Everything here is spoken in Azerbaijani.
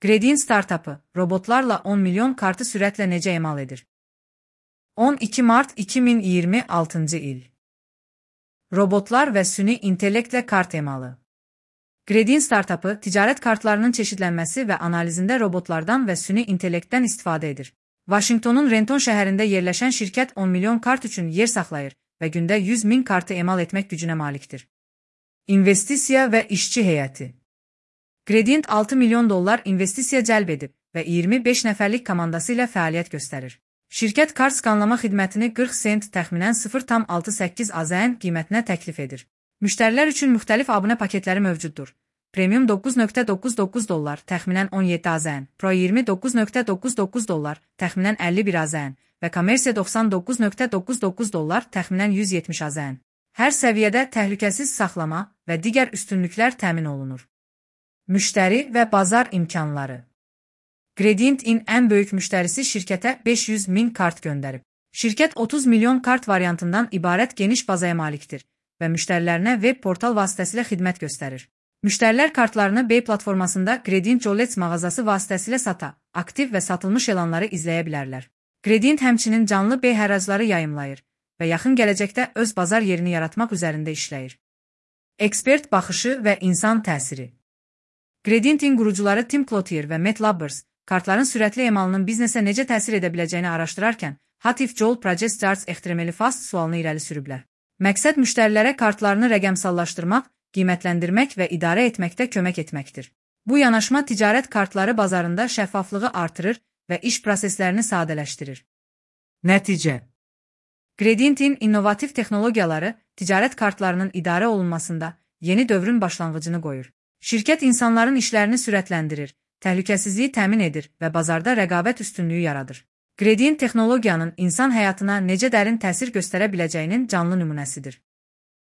Gradient startupı, robotlarla 10 milyon kartı sürətlə necə emal edir? 12 Mart 2026 il. Robotlar və süni intellektlə kart emalı. Gradient startupı, ticarət kartlarının çeşidlənməsi və analizində robotlardan və süni intellektdən istifadə edir. Vaşinqtonun Renton şəhərində yerləşən şirkət 10 milyon kart üçün yer saxlayır və gündə 100 min kartı emal etmək gücünə malikdir. İnvestisiya və işçi heyəti. Gradient $6 milyon investisiya cəlb edib və 25 nəfərlik komandası ilə fəaliyyət göstərir. Şirkət kart skanlama xidmətini 40 sent təxminən 0,68 AZN qiymətinə təklif edir. Müştərilər üçün müxtəlif abunə paketləri mövcuddur. Premium $9,99 təxminən 17 AZN, Pro $29,99 təxminən 51 AZN və Kommersiya $99,99 təxminən 170 AZN. Hər səviyyədə təhlükəsiz saxlama və digər üstünlüklər təmin olunur. Müştəri və bazar imkanları. Gradient-in ən böyük müştərisi şirkətə 500 min kart göndərib. Şirkət 30 milyon kart variantından ibarət geniş bazaya malikdir və müştərilərinə web portal vasitəsilə xidmət göstərir. Müştərilər kartlarını Bey platformasında Gradient Jolets mağazası vasitəsilə sata, aktiv və satılmış elanları izləyə bilərlər. Gradient həmçinin canlı Bey həracları yayımlayır və yaxın gələcəkdə öz bazar yerini yaratmaq üzərində işləyir. Ekspert baxışı və insan təsiri. Gradient-in qurucuları Tim Cloutier və Matt Lubbers, kartların sürətli emalının biznesə necə təsir edə biləcəyini araşdırarkən, What if Joel Project Starts ehtirameli fast sualını irəli sürüblər. Məqsəd müştərilərə kartlarını rəqəmsallaşdırmaq, qiymətləndirmək və idarə etməkdə kömək etməkdir. Bu yanaşma ticarət kartları bazarında şəffaflığı artırır və iş proseslərini sadələşdirir. Nəticə. Gradient-in innovativ texnologiyaları ticarət kartlarının idarə olunmasında yeni dövrün başlanğıcını qoyur. Şirkət insanların işlərini sürətləndirir, təhlükəsizliyi təmin edir və bazarda rəqabət üstünlüyü yaradır. Gradient texnologiyanın insan həyatına necə dərin təsir göstərə biləcəyinin canlı nümunəsidir.